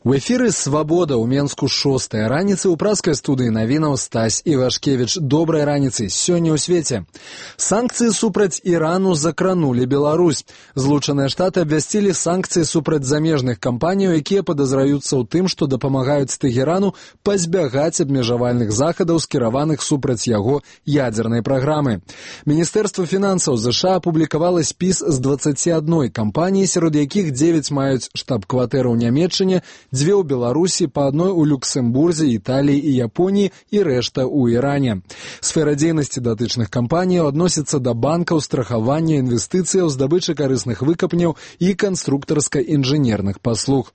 У эфіры «Свабода» ў Менску 6-я раніцы ў праскай студыі навінаў Стась Івашкевіч. Добрай раніцы. Сёння ў свеце. Санкцыі супраць Ірану закранулі Беларусь. Злучаныя Штаты абвясцілі санкцыі супраць замежных кампаніяў, якія падазраюцца ў тым, што дапамагаюць Тэгерану пазбягаць абмежавальных захадаў, скіраваных супраць яго ядзернай праграмы. Міністэрства фінансаў США апублікавала спіс з 21 кампаніі, сярод якіх 9 маюць штаб-кватэру ў Нямецчыне, 2 ў Беларусі, па адной у Люксембурзе, Італіі і Японіі і рэшта ў Іране. Сфера дзейнасці датычных кампаніяў адносіцца да банкаў, страхавання, інвестыцыяў, здабычы карысных выкапняў і канструктарска-інжынерных паслуг.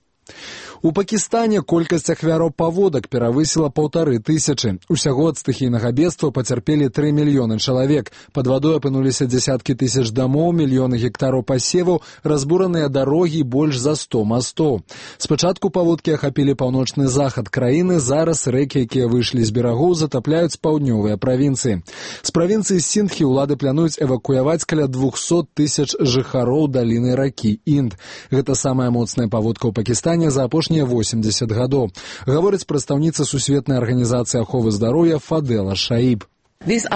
У Пакістане колькасць ахвяраў паводак перавысіла 1500. Усяго ад стыхійнага бедства пацярпелі 3 мільёны чалавек. Пад вадой апынуліся дзесяткі тысяч дамоў, мільёны гектараў пасеваў, разбураныя дарогі і больш за 100 мастоў. Спачатку паводкі ахапілі паўночны захад краіны, зараз рэкі, якія выйшлі з берагоў, затапляюць паўднёвыя правінцыі. З правінцыі Сіндхі ўлады плануюць эвакуяваць каля 200 тысяч жыхароў даліны ракі Інд. Гэта самая моцная паводка ў Пакістане за апошнія 80 гадоў, гаворыць прадстаўніца Сусветнай арганізацыі аховы здароўя Фадела Шаіб. Гэта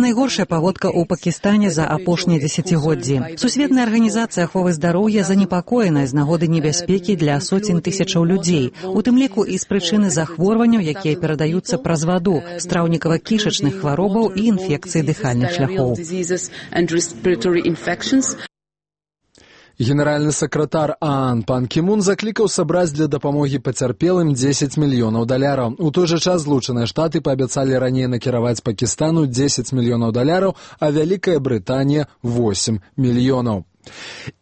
найгоршая паводка ў Пакістане за апошнія дзесяцігоддзі. Сусветная арганізацыя аховы здароўя занепакоена з нагоды небяспекі для соцень тысячаў людзей, у тым ліку і з прычыны захворванняў, якія перадаюцца праз ваду, страўнікава-кішачных хваробаў і інфекцыі дыхальных шляхоў. Генеральны сакратар ААН Пан Кі Мун заклікаў сабраць для дапамогі пацярпелым 10 мільёнаў даляраў. У той жа час Злучаныя Штаты паабяцалі раней накіраваць Пакістану 10 мільёнаў даляраў, а Вялікая Брытанія 8 мільёнаў.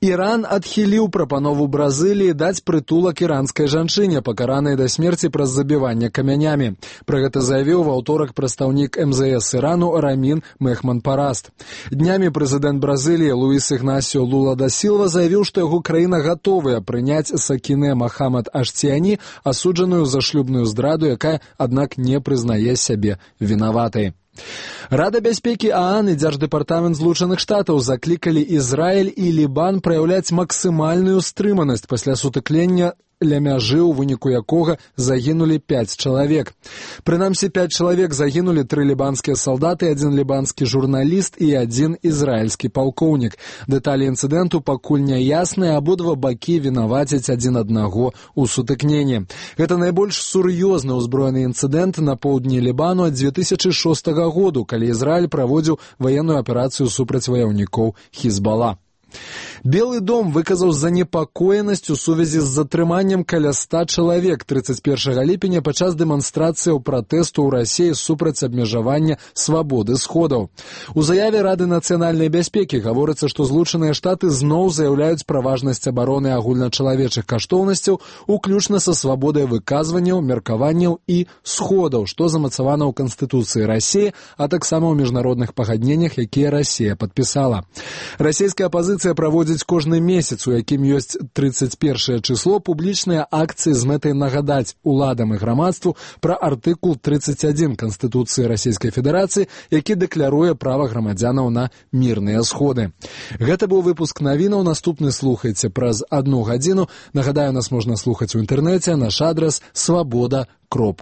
Іран адхіліў прапанову Бразыліі даць прытулак іранскай жанчыне, пакаранай да смерці праз забіванне камянямі. Пра гэта заявіў ва ўторак прадстаўнік МЗС Ірану Рамін Мехман-Параст. Днямі прэзідэнт Бразыліі Луіс Ігнасіо Лула да Сілва заявіў, што яго краіна гатовая прыняць Сакіне Махамад Ашціяні, асуджаную за шлюбную здраду, якая, аднак, не прызнае сябе вінаватай. Рада бяспекі ААН і Дзярждэпартамент Злучаных Штатаў заклікалі Ізраіль і Лібан праяўляць максімальную стрыманасць пасля сутыклення ля мяжы, у выніку якога загінулі 5 чалавек. Прынамсі, 5 чалавек загінулі, 3 лібанскія салдаты, 1 лібанскі журналіст і 1 ізраільскі палкоўнік. Дэталі інцыдэнту пакуль не ясныя, абодва бакі вінавацяць адзін аднаго ў сутыкненні. Гэта найбольш сур'ёзны ўзброены інцыдэнт на поўдні Лібану ад 2006 году, калі Ізраіль праводзіў ваенную аперацыю супраць ваяўнікоў Хізбала. Белы дом выказаў занепакоенасць у сувязі з затрыманнем каля 100 чалавек 31 ліпеня падчас дэманстрацыяў пратэсту ў Расіі супраць абмежавання свабоды сходаў. У заяве Рады нацыянальнай бяспекі гаворыцца, што Злучаныя Штаты зноў заяўляюць пра важнасць абароны агульначалавечых каштоўнасцяў, уключна са свабодай выказванняў, меркаванняў і сходаў, што замацавана ў Канстытуцыі Расіі, а таксама ў міжнародных пагадненнях, якія Расія падпісала. Расійская апазіцыя праводзіць кожны месяц, у якім ёсць 31 число, публічныя акцыі з мэтай нагадаць уладам і грамадству пра артыкул 31 Канстытуцыі Расійскай Федэрацыі, які дэкляруе права грамадзянаў на мірныя сходы. Гэта быў выпуск навінаў, наступны слухайце праз 1 гадзіну. Нагадаю, нас можна слухаць у інтэрнэце, наш адрас свабода.ру.